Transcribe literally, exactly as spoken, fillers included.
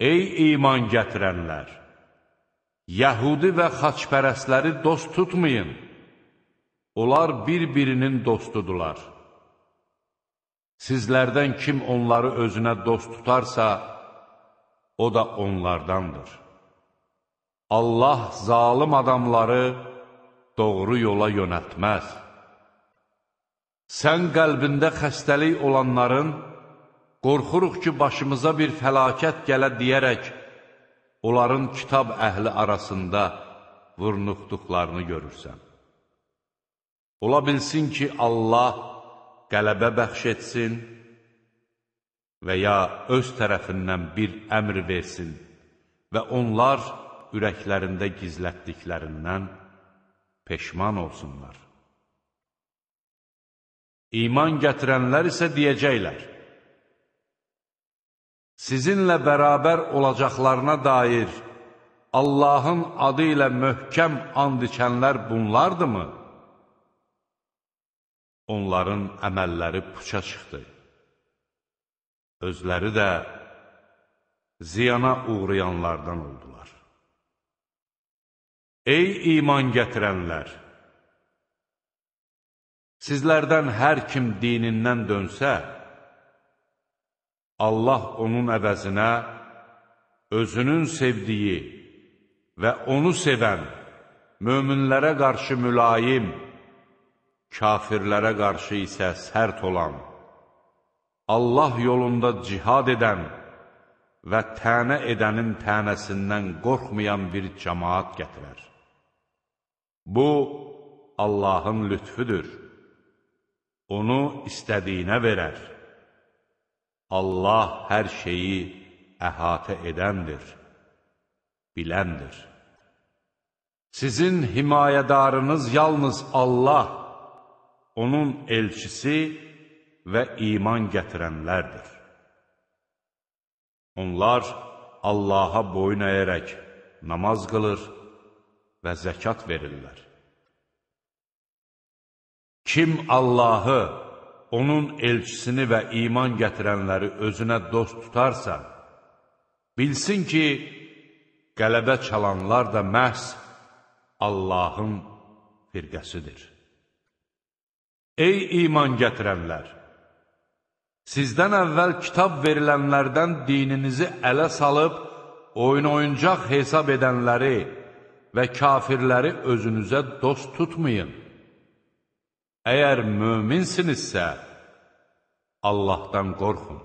Ey iman gətirənlər! Yəhudi və xaçpərəstləri dost tutmayın. Onlar bir-birinin dostudular. Sizlərdən kim onları özünə dost tutarsa, o da onlardandır. Allah zalım adamları doğru yola yönəltməz. Sən qəlbində xəstəlik olanların, qorxuruq ki, başımıza bir fəlakət gələ deyərək, onların kitab əhli arasında vurnuxduqlarını görürsən. Ola bilsin ki, Allah qələbə bəxş etsin və ya öz tərəfindən bir əmr versin və onlar ürəklərində gizlətdiklərindən peşman olsunlar. İman gətirənlər isə deyəcəklər, sizinlə bərabər olacaqlarına dair Allahın adı ilə möhkəm and içənlər bunlardırmı? Onların əməlləri puça çıxdı. Özləri də ziyana uğrayanlardan oldular. Ey iman gətirənlər! Sizlərdən hər kim dinindən dönsə, Allah onun əvəzinə özünün sevdiyi və onu sevən, möminlərə qarşı mülayim, kafirlərə qarşı isə sərt olan, Allah yolunda cihad edən və tənə edənin tənəsindən qorxmayan bir cəmaat gətirər. Bu, Allahın lütfüdür. Onu istədiyinə verər. Allah hər şeyi əhatə edəndir, biləndir. Sizin himayədarınız yalnız Allah, onun elçisi və iman gətirənlərdir. Onlar Allaha boyun əyərək namaz qılır və zəkat verirlər. Kim Allahı, onun elçisini və iman gətirənləri özünə dost tutarsa, bilsin ki, qələbə çalanlar da məhz Allahın firqəsidir. Ey iman gətirənlər! Sizdən əvvəl kitab verilənlərdən dininizi ələ salıb, oyun-oyuncaq hesab edənləri və kafirləri özünüzə dost tutmayın. Əgər möminsinizsə, Allahdan qorxun.